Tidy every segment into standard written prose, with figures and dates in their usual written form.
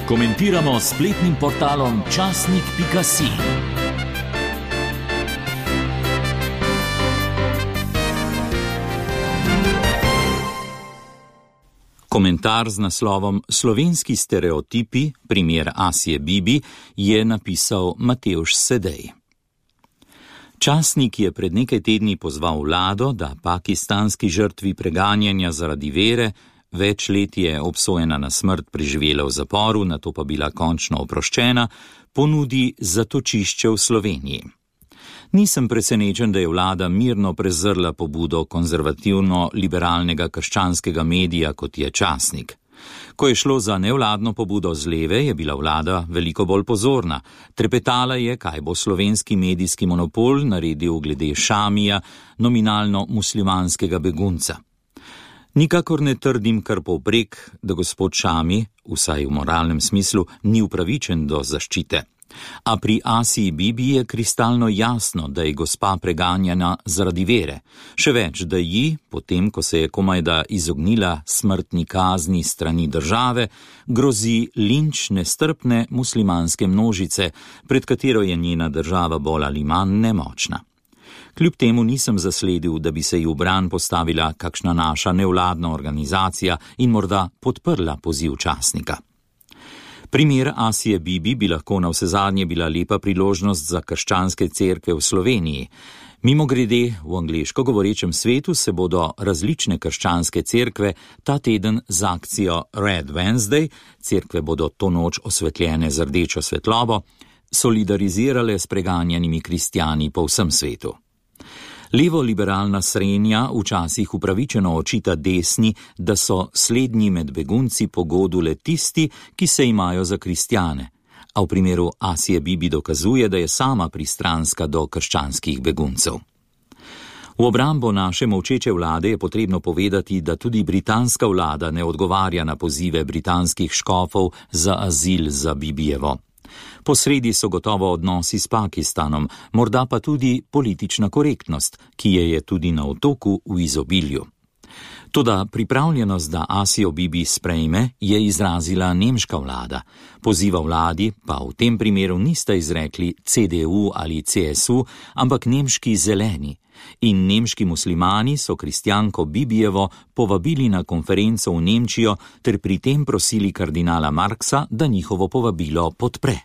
Komentiramo s spletnim portalom časnik.si. Komentar z naslovom Slovenski stereotipi, primer Asije Bibi, je napisal Matevž Sedej. Časnik je pred nekaj tedni pozval vlado, da pakistanski žrtvi preganjanja zaradi vere, več let je obsojena na smrt, preživela v zaporu, nato pa bila končno oproščena, ponudi zatočišče v Sloveniji. Nisem presenečen, da je vlada mirno prezrla pobudo konzervativno-liberalnega krščanskega medija, kot je Časnik. Ko je šlo za nevladno pobudo z leve, je bila vlada veliko bolj pozorna. Trepetala je, kaj bo slovenski medijski monopol naredil glede Šamija, nominalno muslimanskega begunca. Nikakor ne trdim kar povprek, da gospod Šami, vsaj v moralnem smislu, ni upravičen do zaščite. A pri Asiji Bibi je kristalno jasno, da je gospa preganjana zaradi vere. Še več, da ji, potem ko se je komajda izognila smrtni kazni strani države, grozi linč nestrpne muslimanske množice, pred katero je njena država bolj ali manj nemočna. Kljub temu nisem zasledil, da bi se ji v bran postavila kakšna naša nevladna organizacija in morda podprla poziv Časnika. Primer Asije Bibi bi lahko navsezadnje bila lepa priložnost za krščanske cerkve v Sloveniji. Mimogrede, v angleško govorečem svetu se bodo različne krščanske cerkve ta teden z akcijo Red Wednesday, cerkve bodo to noč osvetljene z rdečo svetlobo, solidarizirale s preganjanimi kristjani po vsem svetu. Levo-liberalna srenja včasih upravičeno očita desni, da so slednji med begunci pogodu le tisti, ki se imajo za kristjane, a v primeru Asije Bibi dokazuje, da je sama pristranska do krščanskih beguncev. V obrambo naše molčeče vlade je potrebno povedati, da tudi britanska vlada ne odgovarja na pozive britanskih škofov za azil za Bibijevo. Posredi so gotovo odnosi s Pakistanom, morda pa tudi politična korektnost, ki je tudi na otoku v izobilju. Toda pripravljenost, da Asijo Bibi sprejme, je izrazila nemška vlada. Poziva vladi pa v tem primeru nista izrekli CDU ali CSU, ampak nemški zeleni. In nemški muslimani so kristjanko Bibijevo povabili na konferenco v Nemčijo ter pri tem prosili kardinala Marksa, da njihovo povabilo podpre.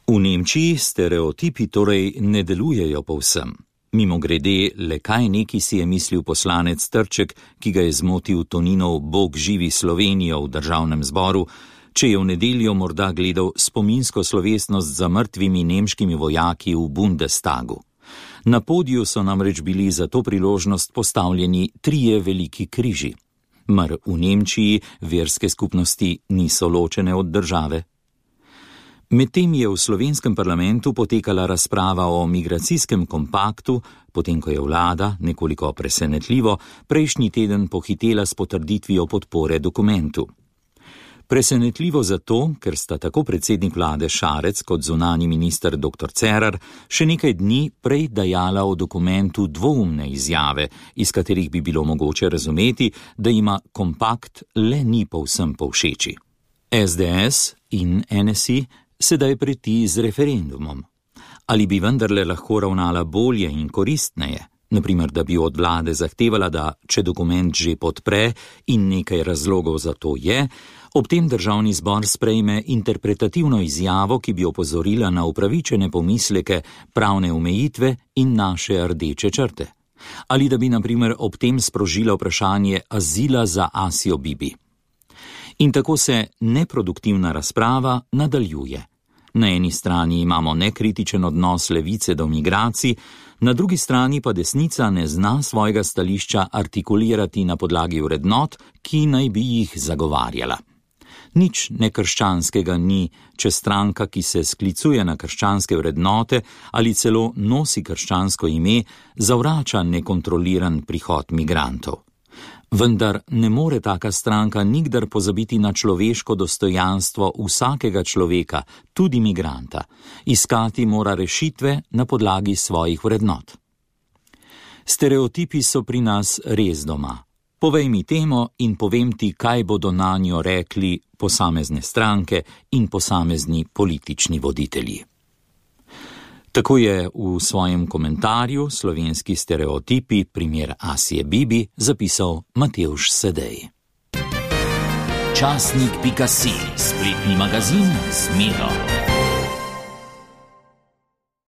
V Nemčiji stereotipi torej ne delujejo povsem. Mimogrede, le kaj neki si je mislil poslanec Trček, ki ga je zmotil Toninov Bog živi Slovenijo v državnem zboru, če je v nedeljo morda gledal spominsko slovesnost za mrtvimi nemškimi vojaki v Bundestagu. Na podiju so namreč bili za to priložnost postavljeni 3 veliki križi. Mar v Nemčiji verske skupnosti niso ločene od države? Medtem je v slovenskem parlamentu potekala razprava o migracijskem kompaktu, potem ko je vlada, nekoliko presenetljivo, prejšnji teden pohitela s potrditvijo podpore dokumentu. Presenetljivo zato, ker sta tako predsednik vlade Šarec kot zunanji minister dr. Cerar še nekaj dni prej dajala o dokumentu dvoumne izjave, iz katerih bi bilo mogoče razumeti, da ima kompakt le ni povsem povšeči. SDS in NSI sedaj preti z referendumom. Ali bi vendarle lahko ravnala bolje in koristneje? Naprimer, da bi od vlade zahtevala, da če dokument že podpre in nekaj razlogov za to je, ob tem državni zbor sprejme interpretativno izjavo, ki bi opozorila na upravičene pomisleke, pravne omejitve in naše rdeče črte. Ali da bi, naprimer, ob tem sprožila vprašanje azila za Asijo Bibi. In tako se neproduktivna razprava nadaljuje. Na eni strani imamo nekritičen odnos levice do migracij, na drugi strani pa desnica ne zna svojega stališča artikulirati na podlagi vrednot, ki naj bi jih zagovarjala. Nič nekrščanskega ni, če stranka, ki se sklicuje na krščanske vrednote ali celo nosi krščansko ime, zavrača nekontroliran prihod migrantov. Vendar ne more taka stranka nikdar pozabiti na človeško dostojanstvo vsakega človeka, tudi migranta. Iskati mora rešitve na podlagi svojih vrednot. Stereotipi so pri nas res doma. Povej mi temo in povem ti, kaj bodo nanjo rekli posamezne stranke in posamezni politični voditelji. Tako je v svojem komentarju Slovenski stereotipi, primer Asije Bibi, zapisal Matevž Sedej. Časnik.si, spletni magazin z Miro.